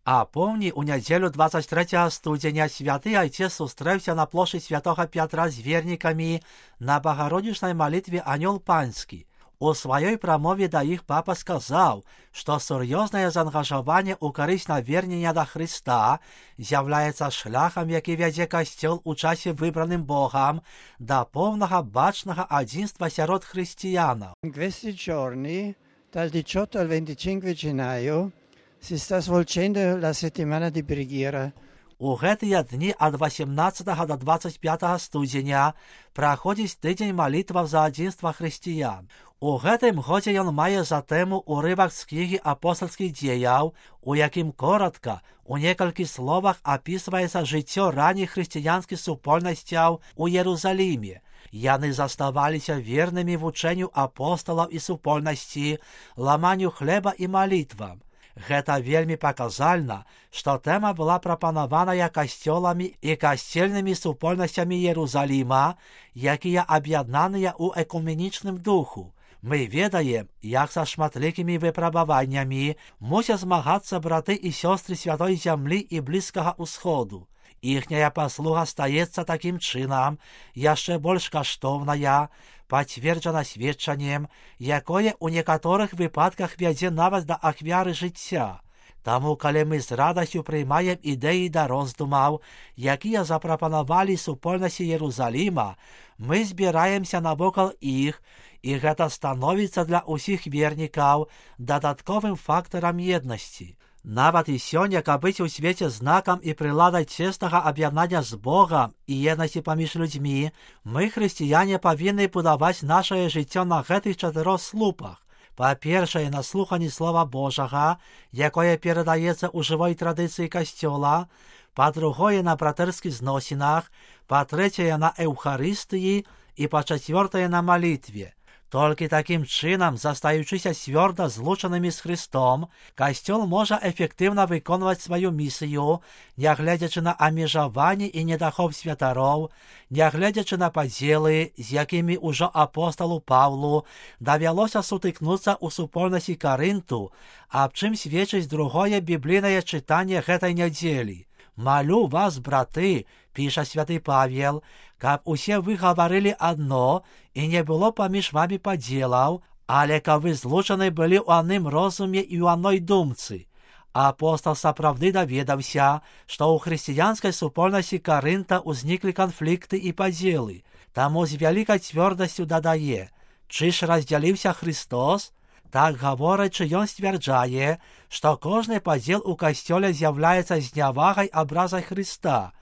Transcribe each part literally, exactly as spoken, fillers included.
А помні, у неділю двадцять третього студеня святий отець зустрівся на площі Святого Петра з вірниками на Богородичній молитві «Анёл Панський». У своїй промові до їх папа сказав, що серйозне заангажування у користь навернення до Христа з'являється шляхом, який веде Костюл у часі вибраним Богом до повного бачного одинства серед християн. In questi giorni, dal diciotto al venticinque gennaio, si sta svolgendo la settimana di preghiera. У гэтыя дні ад вісімнадцятага до двадцять п'ятого студзеня праходзіць тыдзень малітваў за адзінства хрысціян. У гэтым годзе ён мае за тэму урывак з кнігі апостальскіх дзеяў, у якім коратка, у некалькі словах апісваецца жыццё ранніх хрысціянскіх супольнасцяў у Єрусаліме. Яны заставаліся вернымі вучэнню апосталаў і супольнасці, ламанню хлеба і малітвам. Гэта вельмі паказальна, што тэма была прапанаваная касцёламі і касцельнымі супольнасцямі Єрусаліма, якія аб'яднаныя ў экуменічным духу. Мы ведаем, як са шматлікімі выпрабаваннямі мусяць змагацца браты і сёстры святой зямлі і блізкага ўсходу. Іхняя паслуга стаецца такім чынам яшчэ больш каштоўная, пацверджана сведчаннем, якое ў некаторых выпадках вядзе нават да ахвяры жыцця. Таму, калі мы з радасцю прыймаем ідэі да роздумаў, якія запрапанавалі супольнасці Єрусаліма, мы збіраемся навокал іх, і гэта становіцца для ўсіх вернікаў дадатковым фактарам еднасці. Нават і сёння, каб быць у свеце знакам і прыладай цеснага аб'яднання з Богам і еднасці паміж людзьмі, мы, хрысціяне, павінны будаваць нашае жыццё на гэтых чатырох слупах. Па-першае, на слуханні Слова Божага, якое перадаецца ў жывой традыцыі Касцёла, па-другое, на братэрскіх зносінах, па-трэцяе, на Эўхарыстыі і па-чацвёртае, на малітве. Толькі такім чынам, застаючыся цвёрда злучанымі з Христом, Касцёл можа эфектыўна выконваць сваю місію, нягледзячы на абмежаванні і недахоп святароў, нягледзячы на падзелы, з якімі ўжо апосталу Паўлу давялося сутыкнуцца ў супольнасці Карынту, аб чым сведчыць другое біблійнае чытанне гэтай нядзелі. «Малю вас, браты», піша святы Павел, «каб усе вы гаварылі адно, і не было паміж вамі падзелаў, але каб вы злучаны былі ў адным розуме і ў адной думцы». Апостал сапраўды даведаўся, што ў хрысціянскай супольнасці Карынта ўзніклі канфлікты і падзелы, таму з вялікай цвёрдасцю дадае: «Чы ж раздзяліўся Христос?» Так гаворачы, ён сцвярджае, што кожны падзел у касцёле з'яўляецца знявагай абразай Хрыста,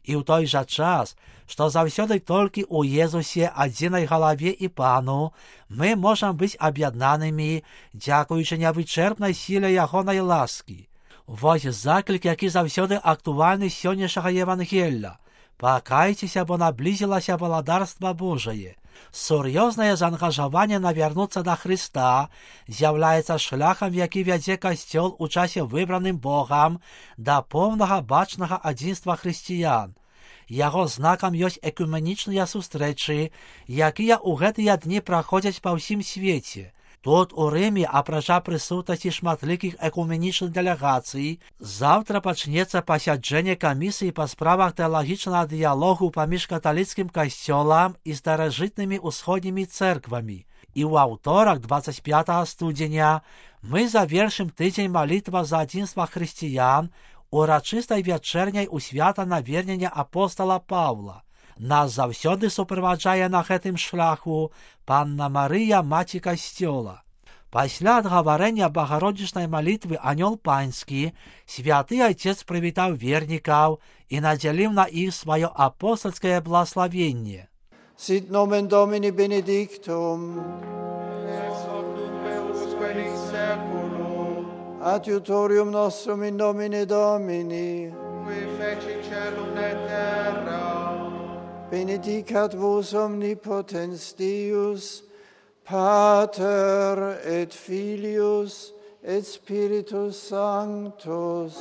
і ў той жа час, што заўсёды толькі ў Езусе, адзінай галаве і Пану, мы можам быць аб'яднанымі, дзякуючы невычэрпнай сіле ягонай ласкі. Вось заклік, які заўсёды актуальны з сённяшняга Евангелля. Пакайцеся, бо наблізілася валадарства Божае. Сур'ёзнае заангажаванне навярнуцца да Хрыста з'яўляецца шляхам, які вядзе Касцёл у часе выбраным Богам да поўнага бачнага адзінства хрысціян. Яго знакам ёсць экуменічныя сустрэчы, якія ў гэтыя дні праходзяць па ўсім свеце. Тут у Рыме, апрача прысутнасці шматлікіх экуменічных дэлегацый, заўтра пачнецца пасяджэнне камісіі па справах тэалагічнага дыялогу паміж каталіцкім касцёлам і старажытнымі ўсходнімі цэрквамі. І ў аўторак, двадцять пятого студзеня, мы завершым тыдзень малітва за адзінства хрысціян урачыстай вячэрняй у свята навернення апостала Паўла. Нас заўсёды суправаджае на гэтым шляху Панна Марыя, маці Касцёла. Пасля адгаварэння багародзічнай малітвы «Анёл Панський» святы Айцец прывітаў вернікаў і надзяліў на іх сваё апостальскае благословенне. Sit nomen Domini benedictum, ex hoc nunc et usque in saeculum, adiutorium nostrum in nomine Domini, qui feci caelum et terra. benedicat vos omnipotens Deus, Pater et Filius et Spiritus Sanctus.